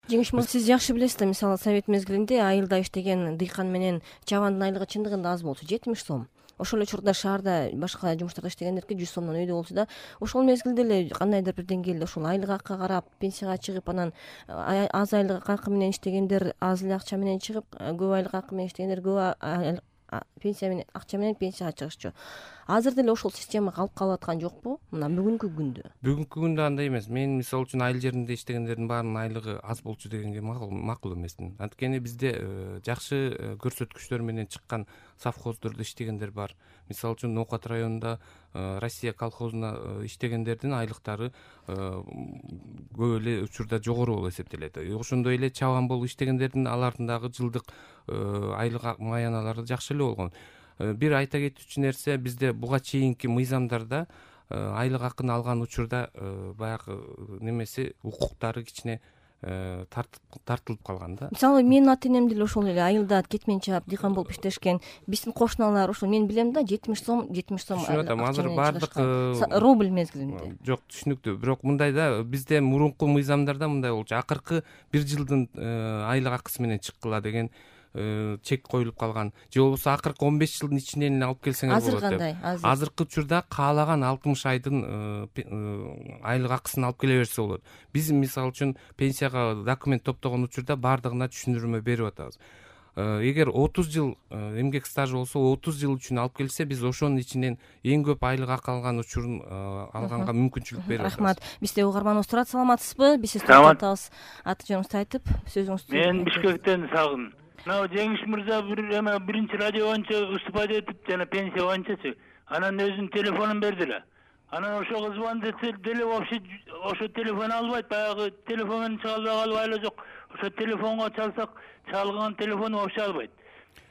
Жеңиш мырза, сиз жакшы билесиз да, мисалы совет мезгилинде айылда иштеген дыйкан менен чабандын айлыгы чындыгында аз болчу, 70 сом. Ошол эле учурда шаарда башка жумуштарда иштегендерге 100 сомдон өйдө болчу да. Ошол мезгилде эле кандайдыр бир деңгээлде ушул айлык акка карап пенсияга чыгып, анан аз айлык акы менен иштегендер аз эле акча менен чыгып, көп айлык акы менен иштегендер көп пенсия менен акча менен пенсияга чыгышчу. Азыр деле ошол система калып калып аткан жокпу мына бүгүнкү күндө? Бүгүнкү күндө андай эмес. Мен мисалы үчүн айыл жеринде иштегендердин баарынын айлыгы аз болчу дегенге макул эмесмин. Анткени бизде жакшы көрсөткүчтөр менен чыккан совхоздордо иштегендер бар. Мисалы үчүн Ноокат районунда Россия колхозуна иштегендердин айлыктары көп эле учурда жогору болуп эсептелет. Ошондой эле чабан болуп иштегендердин алардын дагы жылдык айлык маяналары жакшы эле болгон. Бир айта кетүүчү нерсе, бизде буга чейинки мыйзамдарда айлык акыны алган учурда баягы немеси укуктары кичине тартылып калган да. Мисалы менин ата энем деле ошол эле айылда кетмен чаап дыйкан болуп иштешкен. Биздин кошуналар ошол мен билем да, 70 сом. Түшүнүп атам. Азыр бардык рубль мезгилинде. Жок, түшүнүктүү. Бирок мындай да, бизде мурунку мыйзамдарда мындай болчу. Акыркы бир жылдын айлык акысы менен чыккыла деген чек коюлуп калган. Же болбосо акыркы 15 жылдын ичинен эле алып келсеңер болот деп. Азыр кандай? Азыркы учурда каалаган 60 айдын айлык акысын алып келе берсе болот. Биз мисалы үчүн пенсияга документ топтогон учурда бардыгына түшүндүрмө берип атабыз. Эгер 30 жыл эмгек стажы болсо, 30 жыл үчүн алып келсе, биз ошонун ичинен эң көп айлык акы алган учурун алганга мүмкүнчүлүк берип атабыз. Рахмат. Бизде угарманыбыз турат. Саламатсызбы? Биз сизди токтотабыз. Аты жөнүңүздү айтып, сөзүңүздү. Мен Бишкектен Сагын. Жеңиш мырза биринчи радио боюнча выступать этип, жана пенсия боюнчачы. Анан өзүнүн телефонун берди эле. Анан ошого звонить этсе деле вообще ошо телефон албайт, баягы телефон менен чыга албай калып айла жок. Ошо телефонго чалсак, чалган телефону вообще албайт.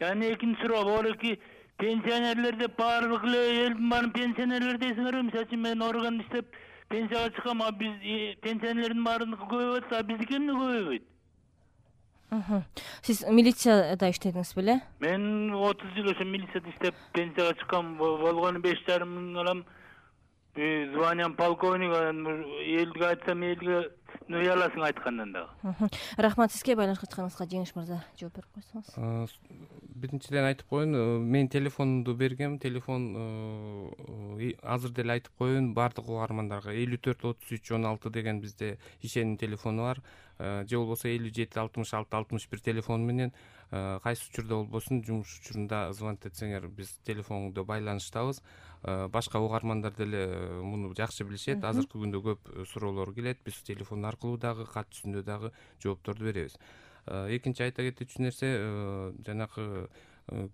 Yani экинчи суроо, болеки пенсионерлер деп баардык эле элдин баарын пенсионерлер дейсиңерби? Мисалы үчүн мен орган иштеп пенсияга чыккам, а биз пенсионерлердин баардыгы көбөйөт, а биздики эмне көбөйбөйт? Сиз милицияда иштедиңиз беле? Мен 30 жыл ошо милицияда иштеп пенсияга чыккам, болгону 5,5 миң алам. Званиям полковник, элге айтсам элге уяласың айткандан дагы. Рахмат, сизге байланышка чыкканыңызга. Жеңиш мырза, жооп берип койсоңуз. Биринчиден айтып коеюн, мен телефонумду бергем. Телефон азыр деле айтып коеюн бардык угармандарга. 54 33 16 деген бизде ишеним телефону бар. Же болбосо 57 66 61 телефон менен кайсы учурда болбосун жумуш учурунда звонить этсеңер, биз телефондо байланыштабыз. Башка угармандар деле муну жакшы билишет. Азыркы күндө көп суроолор келет. Биз телефон аркылуу дагы, кат жүзүндө дагы жоопторду беребиз. Экинчи айта кетүүчү нерсе, жанагы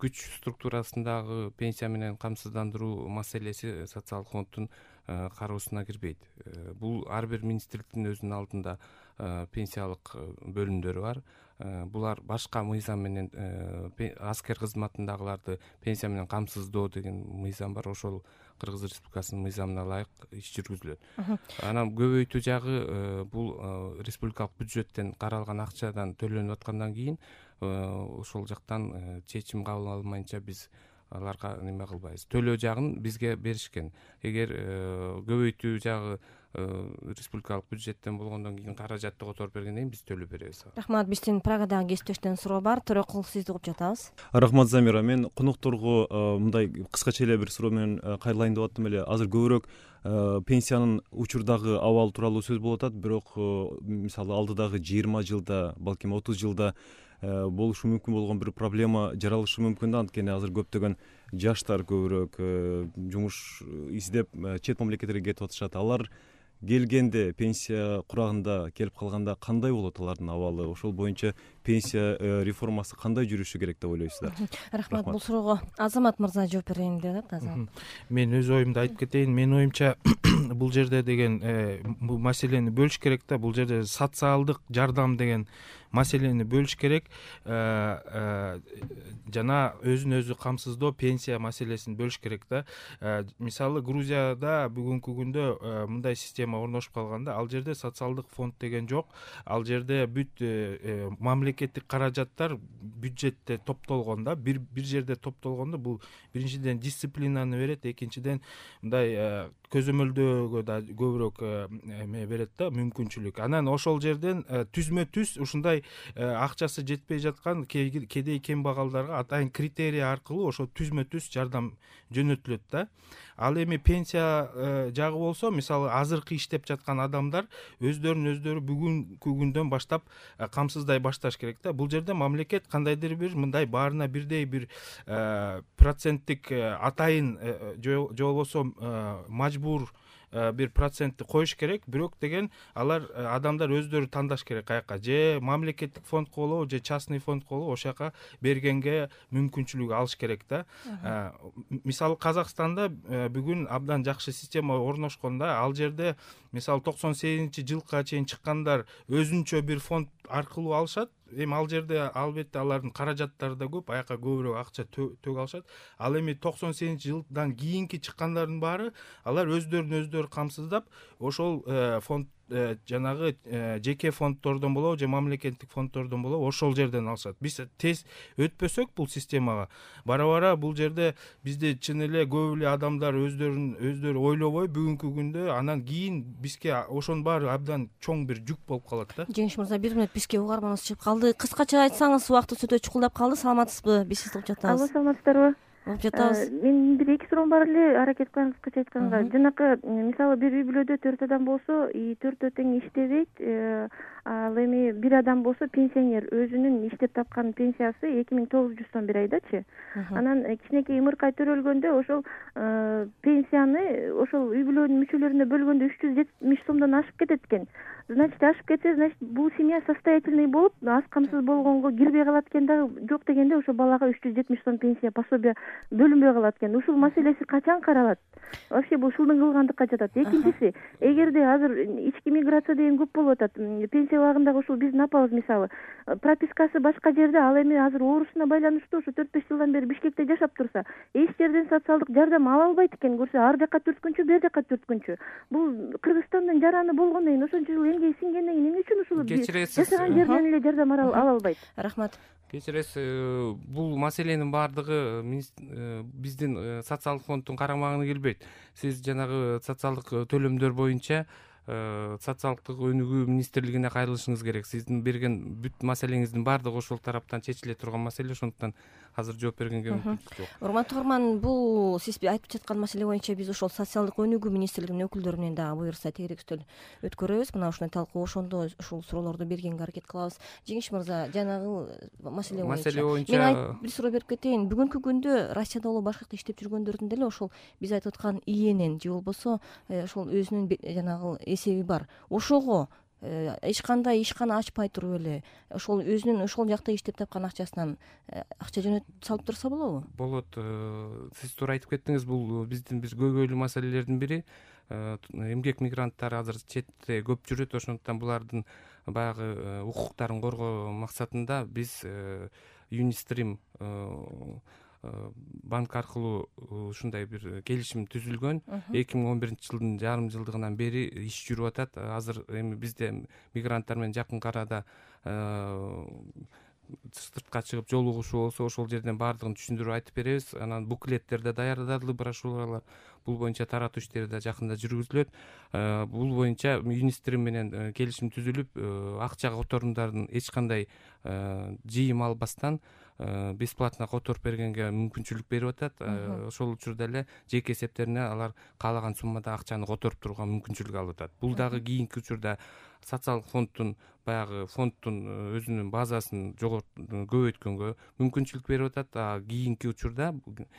күч структурасындагы пенсия менен камсыздандыруу маселеси социалдык фонддун кароосуна кирбейт. Бул ар бир министрликтин өзүнүн алдында пенсиялык бөлүмдөрү бар. Булар башка мыйзам менен аскер кызматындагыларды пенсия менен камсыздоо деген мыйзам бар. Ошол Кыргыз Республикасынын мыйзамына ылайык иш жүргүзүлөт. Анан көбөйтүү жагы бул республикалык бюджеттен каралган акчадан төлөнүп аткандан кийин ошол жактан чечим кабыл алынмайынча биз аларга неме кылбайбыз. Төлөө жагын бизге беришкен. Эгер көбөйтүү жагы республикалык бюджеттен болгондон кийин каражатты которуп бергенден кийин биз төлөп беребиз. Рахмат. Биздин Прагадагы кесиптештен суроо бар. Төрөкул, сизди угуп жатабыз. Рахмат, Замира. Мен конокторго мындай кыскача эле бир суроо менен кайрылайын деп аттым эле. Азыр көбүрөөк пенсиянын учурдагы абалы тууралуу сөз болуп атат, бирок мисалы алдыдагы 20 жылда, балким 30 жылда болушу мүмкүн болгон бир проблема жаралышы мүмкүн да. Анткени азыр көптөгөн жаштар көбүрөөк жумуш издеп чет мамлекеттерге кетип атышат. Алар келгенде, пенсия курагында келип калганда кандай болот алардын абалы? Ошол боюнча пенсия реформасы кандай жүрүшү керек деп ойлойсуздар? Рахмат. Бул суроого Азамат мырза жооп берейин деп атат. Азамат. Мен өз оюмду айтып кетейин. Менин оюмча бул жерде деген бул маселени бөлүш керек да. Бул жерде социалдык жардам деген маселени бөлүш керек. Жана өзүн өзү камсыздоо, пенсия маселесин бөлүш керек да. Мисалы Грузияда бүгүнкү күндө мындай система орношуп калганда, ал жерде социалдык фонд деген жок. Ал жерде бүт мамлекеттик каражаттар бюджетте топтолгондо, бир жерде топтолгондо бул биринчиден дисциплинаны берет, экинчиден мындай көзөмөлдөө төлөөгө да көбүрөөк эме берет да, мүмкүнчүлүк. Анан ошол жерден түзмө түз ушундай акчасы жетпей жаткан кедей кембагалдарга атайын критерий аркылуу ошо түзмө түз жардам жөнөтүлөт да. Ал эми пенсия жагы болсо, мисалы азыркы иштеп жаткан адамдар өздөрү бүгүнкү күндөн баштап камсыздай башташ керек да. Бул жерде мамлекет кандайдыр бир мындай баарына бирдей бир проценттик атайын же болбосо мажбур бир процентти коюш керек. Бирок деген алар адамдар өздөрү тандаш керек, каяка же мамлекеттик фондко болобу же частный фондко болобу ошол жака бергенге мүмкүнчүлүк алыш керек да. Мисалы Казакстанда бүгүн абдан жакшы система орношкон да. Ал жерде мисалы 98-жылга чейин чыккандар өзүнчө бир фонд аркылуу алышат. Эми ал жерде албетте алардын каражаттары да көп, аяка көбүрөөк акча төгө алышат. Ал эми 98-жылдан кийинки чыккандардын баары алар өздөрүн камсыздап ошол фонд жанагы жеке фонддордон болобу же мамлекеттик фонддордон болобу ошол жерден алышат. Биз тез өтпөсөк бул системага, бара бул жерде бизде чын эле көп эле адамдар өздөрү ойлобой бүгүнкү күндө анан кийин бизге ошонун баары абдан чоң бир жүк болуп калат да. Жеңиш мырза, 1 мүнөт бизге угарманыбыз чыгып калды. Кыскача айтсаңыз, убактыбыз өтө чукулдап калды. Саламатсызбы? Биз сизди угуп жатабыз. Алло, саламатсыздарбы? Угуп жатабыз. Мен бир 2 суроом бар эле, аракет кылам кыскача айтканга. Жанакы мисалы бир үй бүлөдө 4 адам болсо, 4 тең иштебейт. Ал эми бир адам болсо пенсионер, өзүнүн иштеп тапкан пенсиясы 2900 сом бир айдачы. Анан кичинекей ымыркай төрөлгөндө ошол пенсияны ошол үй бүлөнүн мүчөлөрүнө бөлгөндө 370 сомдон ашып кетет экен. Значит, ашып кетсе, значит, бул семья состоятельный болуп, аз камсыз болгонго кирбей калат экен да. Жок дегенде ошо балага 370 сом пенсия пособие бөлүнбөй калат экен. Ушул маселеси качан каралат? Вообще бул шылдың кылгандыкка жатат. Экинчиси, эгерде азыр ички миграция деген көп болуп атат, пенсия убагындагы ушул биздин апабыз мисалы пропискасы башка жерде, ал эми азыр оорусуна байланыштуу ошо 4-5 жылдан бери Бишкекте жашап турса, эч жерден социалдык жардам ала албайт экен. Көрсө, ар жака 4 күнчү, бер жака 4 күнчү. Бул Кыргызстандын жараны болгондон кийин, ошончо жыл эмгеги сиңгенден кийин эмне үчүн ушул жашаган жерден эле жардам ала албайт? Рахмат. Кечиресиз, бул маселенин баардыгы биздин социалдык фонддун карамагына келбейт. Сиз жанагы социалдык төлөмдөр боюнча социалдык өнүгүү министрлигине кайрылышыңыз керек. Сиздин берген бүт маселеңиздин баардыгы ошол тараптан чечиле турган маселе, ошондуктан азыр жооп бергенге мүмкүнчүлүк жок. Урматтуу угарман, бул сиз айтып жаткан маселе боюнча биз ошол социалдык өнүгүү министрлигинин өкүлдөрү менен дагы буюрса тегерек үстөл өткөрөбүз. Мына ушундай талкуу ошондо ушул суроолорду бергенге аракет кылабыз. Жеңиш мырза, жанагы маселе боюнча мен бир суроо берип кетейин. Бүгүнкү күндө Россияда болобу башка жакта иштеп жүргөндөрдүн деле ошол биз айтып аткан иенин же болбосо ошол өзүнүн жанагы эсеби бар. Ошого эч кандай ишкана ачпай туруп эле ошол өзүнүн ошол жакта иштеп тапкан акчасынан акча жөнөтүп салып турса болобу? Болот. Сиз туура айтып кеттиңиз. Бул биздин бир көйгөйлүү маселелердин бири. Эмгек мигранттары азыр четте көп жүрөт. Ошондуктан булардын баягы укуктарын коргоо максатында биз Юнистрим банк аркылуу ушундай бир келишим түзүлгөн. 2011-жылдын жарым жылдыгынан бери иш жүрүп атат. Азыр эми бизде мигранттар менен жакын арада сыртка чыгып жолугушуу болсо, ошол жерден баардыгын түшүндүрүп айтып беребиз. Анан буклеттерде даярдалды, брошюралар. Бул боюнча таратуу иштери да жакында жүргүзүлөт. Бул боюнча Юнистрим менен келишим түзүлүп, акча которумдарын эч кандай жыйым албастан бесплатно которуп бергенге мүмкүнчүлүк берип атат. Ошол учурда эле жеке эсептерине алар каалаган суммада акчаны которуп турууга мүмкүнчүлүк алып атат. Бул дагы кийинки учурда социалдык фонддун өзүнүн базасын көбөйткөнгө мүмкүнчүлүк берип атат. Кийинки учурда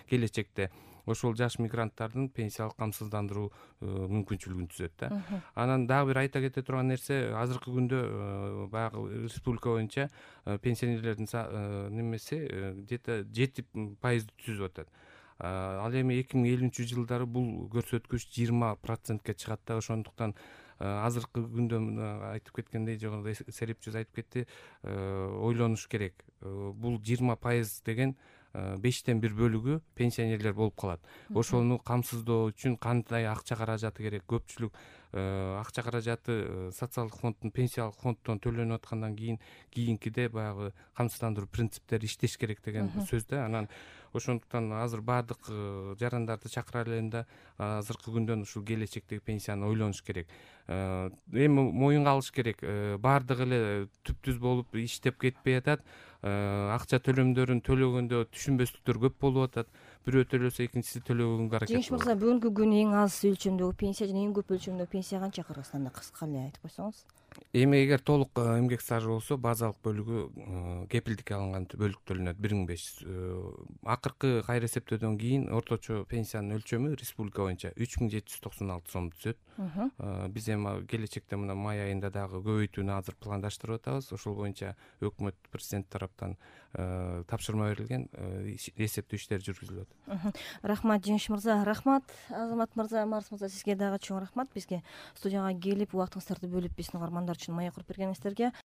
келечекте ошол жаш мигранттардын пенсиялык камсыздандыруу мүмкүнчүлүгүн түзөт да. Анан дагы бир айта кете турган нерсе, азыркы күндө баягы республика боюнча пенсионерлердин немеси где-то 7% түзүп атат. Ал эми 2050-жылдары бул көрсөткүч 20%ке чыгат да. Ошондуктан азыркы күндө айтып кеткендей, жогоруда серепчиз айтып кетти, ойлонуш керек. Бул 20% деген 5тен 1 бөлүгү пенсионерлер болуп калат. Ошону камсыздоо үчүн кандай акча каражаты керек? Көпчүлүк акча каражаты социалдык фонддун пенсиялык фонддон төлөнүп аткандан кийинкиде баягы камсыздандыруу принциптери иштеш керек деген сөз да. Анан ошондуктан азыр баардык жарандарды чакыра элем да азыркы күндөн ушул келечектеги пенсияны ойлонуш керек. Эми моюнга алыш керек, баардыгы эле түп-түз болуп иштеп кетпей атат. Акча төлөмдөрүн төлөгөндө түшүнбөстүктөр көп болуп атат. Бирөө төлөсө экинчиси төлөгөнгө аракет Жеңиш мырза, бүгүнкү күнү эң аз өлчөмдөгү пенсия жана эң көп өлчөмдөгү пенсия канча Кыргызстанда? Кыска эле айтып койсоңуз. Эми эгер толук эмгек стажы болсо базалык бөлүгү кепилдикке алынган бөлүк төлөнөт 1500. Акыркы кайра эсептөөдөн кийин орточо пенсиянын өлчөмү республика боюнча 3796 сом түзөт. Биз эми келечекте мына май айында дагы көбөйтүүнү азыр пландаштырып атабыз. Ошол боюнча өкмөт президент тараптан тапшырма берилген, эсептөө иштери жүргүзүлүп атат. Рахмат Жеңиш мырза. Рахмат Азамат мырза, Марс мырза, сизге дагы чоң рахмат. Бизге студияга келип убактыңыздарды бөлүп биздин угармандар үчүн маек куруп бергениңиздерге.